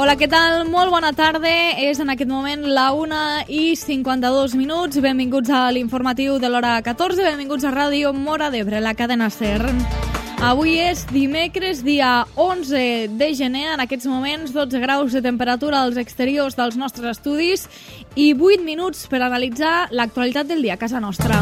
Hola, què tal? Molt bona tarda. És en aquest moment la 1:52. Benvinguts a l'informatiu de l'hora 14. Benvinguts a Ràdio Móra d'Ebre, la cadena SER. Avui és dimecres, dia 11 de gener. En aquests moments, 12 graus de temperatura als exteriors dels nostres estudis i 8 minuts per analitzar l'actualitat del dia a casa nostra.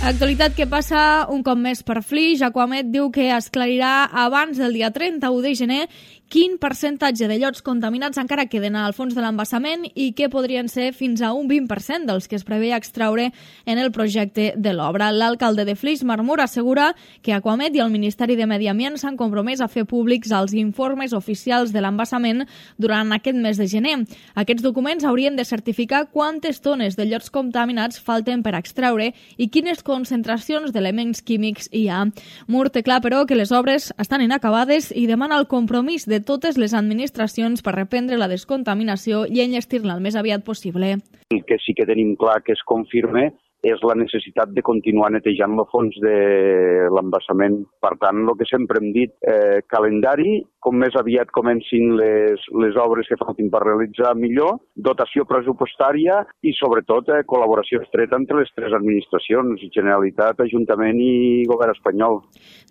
Actualitat que passa un cop més per Flix. Aquamed diu que esclarirà abans del dia 31 de gener quin percentatge de llots contaminats encara queden al fons de l'embassament i que podrien ser fins a un 20% dels que es preveia extraure en el projecte de l'obra. L'alcalde de Flix, Marmur, assegura que Aquamed i el Ministeri de Medi Ambient s'han compromès a fer públics els informes oficials de l'embassament durant aquest mes de gener. Aquests documents haurien de certificar quantes tones de llots contaminats falten per extraure i quines concentracions d'elements químics hi ha. Mur té clar, però, que les obres estan inacabades i demana el compromís de totes les administracions per reprendre la descontaminació i enllestir-la el més aviat possible. El que sí que tenim clar que es confirma és la necessitat de continuar netejant el fons de l'embassament. Per tant, el que sempre hem dit, calendari, com més aviat comencin les obres que faltin per realitzar millor, dotació pressupostària i, sobretot, col·laboració estreta entre les tres administracions, Generalitat, Ajuntament i Govern espanyol.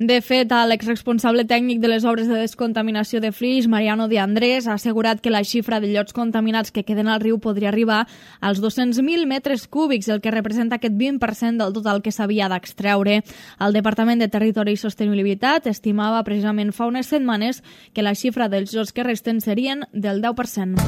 De fet, l'exresponsable tècnic de les obres de descontaminació de Flix, Mariano de Andrés, ha assegurat que la xifra de llots contaminats que queden al riu podria arribar als 200.000 metres cúbics, el que representa aquest 20% del total que s'havia d'extreure. El Departament de Territori i Sostenibilitat estimava precisament fa unes setmanes que la xifra dels llots que resten serien del 10%.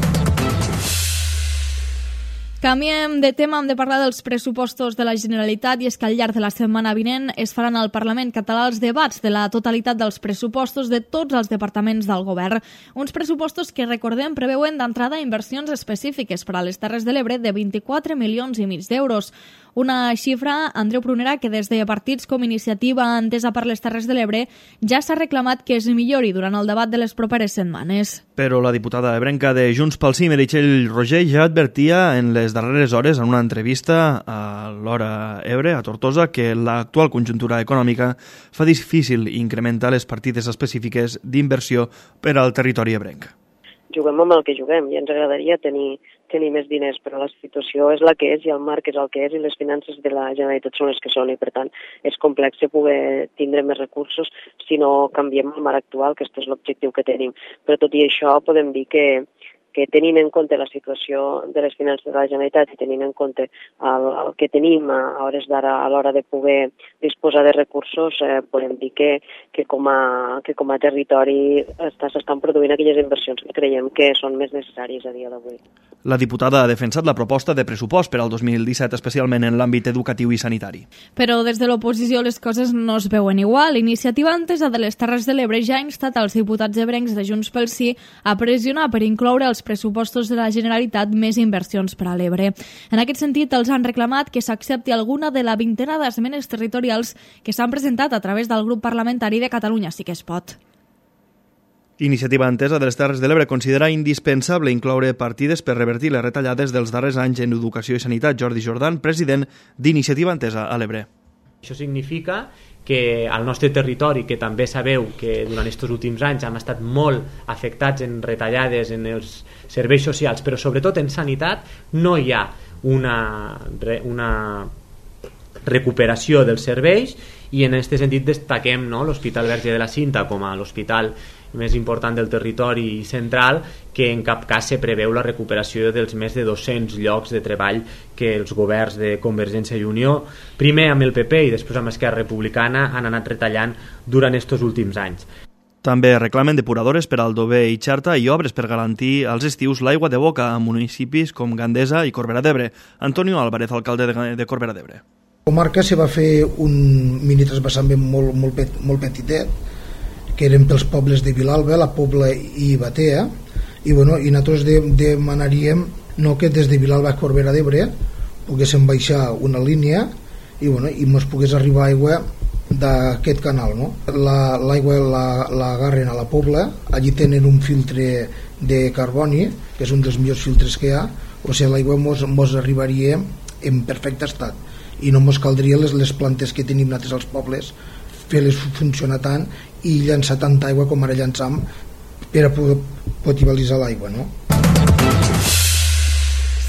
Canviem de tema, hem de parlar dels pressupostos de la Generalitat i és que al llarg de la setmana vinent es faran al Parlament català els debats de la totalitat dels pressupostos de tots els departaments del govern. Uns pressupostos que, recordem, preveuen d'entrada inversions específiques per a les Terres de l'Ebre de 24,5 milions d'euros. Una xifra, Andreu Prunera, que des de partits com Iniciativa Entesa per les Terres de l'Ebre ja s'ha reclamat que es millori durant el debat de les properes setmanes. Però la diputada ebrenca de Junts pel Sí, Meritxell Roger, ja advertia en les darreres hores en una entrevista a l'Hora Ebre, a Tortosa, que l'actual conjuntura econòmica fa difícil incrementar les partides específiques d'inversió per al territori ebrenc. Juguem amb el que juguem i ens agradaria tenir més diners, però la situació és la que és i el marc és el que és i les finances de la Generalitat són les que són i per tant és complex poder tindre més recursos si no canviem el marc actual, que aquest és l'objectiu que tenim. Però tot i això podem dir que tenint en compte la situació de les finances de la Generalitat i tenint en compte el que tenim a hores d'ara a l'hora de poder disposar de recursos, podem dir que com a territori s'estan produint aquelles inversions que creiem que són més necessàries a dia d'avui. La diputada ha defensat la proposta de pressupost per al 2017, especialment en l'àmbit educatiu i sanitari. Però des de l'oposició les coses no es veuen igual. Iniciativa Entesa de les Terres de l'Ebre ja ha instat als diputats ebrencs de Junts pel Sí a pressionar per incloure els pressupostos de la Generalitat més inversions per a l'Ebre. En aquest sentit, els han reclamat que s'accepti alguna de la vintena d'esmenes territorials que s'han presentat a través del grup parlamentari de Catalunya Sí que es pot. Iniciativa Entesa de les Terres de l'Ebre considera indispensable incloure partides per revertir les retallades dels darrers anys en educació i sanitat. Jordi Jordan, president d'Iniciativa Entesa a l'Ebre. Això significa que al nostre territori, que també sabeu que durant aquests últims anys hem estat molt afectats en retallades en els serveis socials, però sobretot en sanitat, no hi ha una recuperació dels serveis i en aquest sentit destaquem l'Hospital Verge de la Cinta com a l'hospital més important del territori central, que en cap cas se preveu la recuperació dels més de 200 llocs de treball que els governs de Convergència i Unió, primer amb el PP i després amb Esquerra Republicana, han anat retallant durant aquests últims anys. També reclamen depuradores per al Dover i Xarta i obres per garantir als estius l'aigua de boca a municipis com Gandesa i Corbera d'Ebre. Antonio Álvarez, alcalde de Corbera d'Ebre. A la comarca se va fer un mini transvasament molt petitet, que eren pels pobles de Vilalba, la Pobla i Batea, i nosaltres demanaríem que des de Vilalba a Corbera d'Ebre poguéssim baixar una línia i ens pogués arribar aigua d'aquest canal. L'aigua l'agarren a la Pobla, allí tenen un filtre de carboni, que és un dels millors filtres que hi ha, o sigui, l'aigua ens arribaria en perfecte estat i no ens caldria les plantes que tenim nosaltres als pobles fer-les funcionar tant i llançar tanta aigua com ara llançam per a poder potabilitzar l'aigua, no?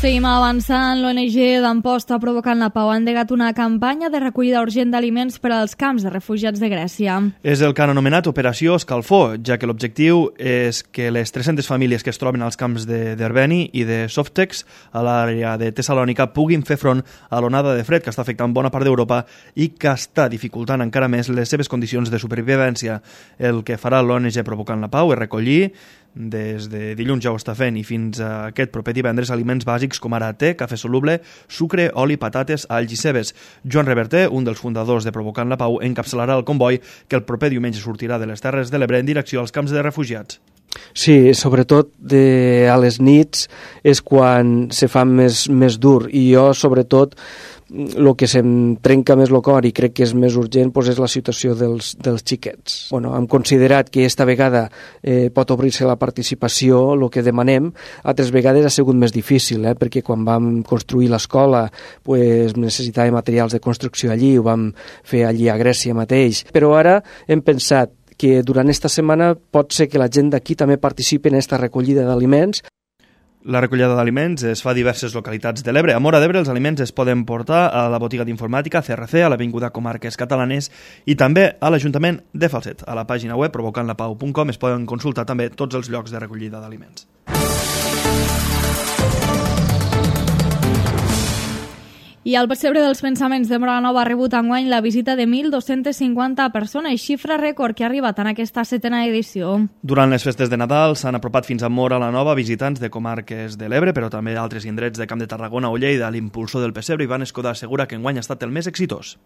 Seguim avançant. L'ONG d'Amposta Provocant la Pau ha endegat una campanya de recollida urgent d'aliments per als camps de refugiats de Grècia. És el que han anomenat Operació Escalfor, ja que l'objectiu és que les 300 famílies que es troben als camps d'Herbeni i de Softex a l'àrea de Tessalònica puguin fer front a l'onada de fred que està afectant bona part d'Europa i que està dificultant encara més les seves condicions de supervivència. El que farà l'ONG Provocant la Pau és recollir des de dilluns ja ho està fent i fins a aquest proper divendres aliments bàsics com ara te, cafè soluble, sucre, oli, patates, alls i cebes. Joan Reverter, un dels fundadors de Provocant la Pau, encapçalarà el comboi que el proper diumenge sortirà de les Terres de l'Ebre en direcció als camps de refugiats. Sí, sobretot a les nits és quan se fa més dur i jo sobretot el que se'm trenca més el cor i crec que és més urgent és la situació dels xiquets. Hem considerat que esta vegada pot obrir-se la participació, el que demanem. Altres vegades ha sigut més difícil, perquè quan vam construir l'escola necessitàvem materials de construcció allí, ho vam fer allí a Grècia mateix. Però ara hem pensat que durant esta setmana pot ser que la gent d'aquí també participi en aquesta recollida d'aliments. La recollida d'aliments es fa a diverses localitats de l'Ebre. A Móra d'Ebre els aliments es poden portar a la botiga d'informàtica CRC, a l'Avinguda Comarques Catalanes i també a l'Ajuntament de Falset. A la pàgina web provocantlapau.com es poden consultar també tots els llocs de recollida d'aliments. I el Pessebre dels Pensaments de Móra la Nova ha rebut enguany la visita de 1.250 persones, xifra rècord que ha arribat en aquesta 7a edició. Durant les festes de Nadal s'han apropat fins a Móra la Nova visitants de comarques de l'Ebre, però també altres indrets de Camp de Tarragona o Lleida. L'impulsor del Pessebre, Ivan Escudà, assegura que enguany ha estat el més exitós.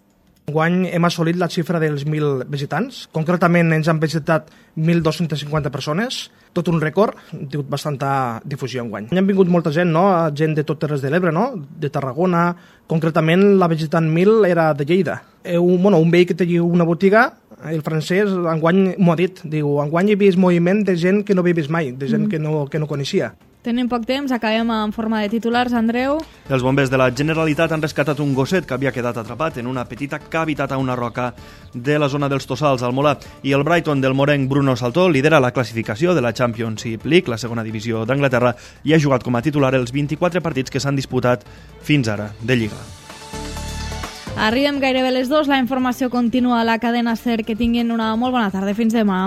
Enguany hem assolit la xifra dels 1.000 visitants. Concretament ens han visitat 1.250 persones, tot un rècord, hem tingut bastanta difusió enguany. Han vingut molta gent, no? Gent de tot Terres de l'Ebre, no? De Tarragona. Concretament la visitant 1.000 era de Lleida. Un veí que té una botiga, el francès, enguany m'ho ha dit, diu, enguany he vist moviment de gent que no havia vist mai, de gent que no coneixia. Tenim poc temps, acabem en forma de titulars, Andreu. Els bombers de la Generalitat han rescatat un gosset que havia quedat atrapat en una petita cavitat a una roca de la zona dels Tossals, al Molar. I el Brighton del morenc Bruno Saltó lidera la classificació de la Championship League, la segona divisió d'Anglaterra, i ha jugat com a titular els 24 partits que s'han disputat fins ara de Lliga. Arribem gairebé a les 2, la informació continua a la cadena SER. Que tinguin una molt bona tarda. Fins demà.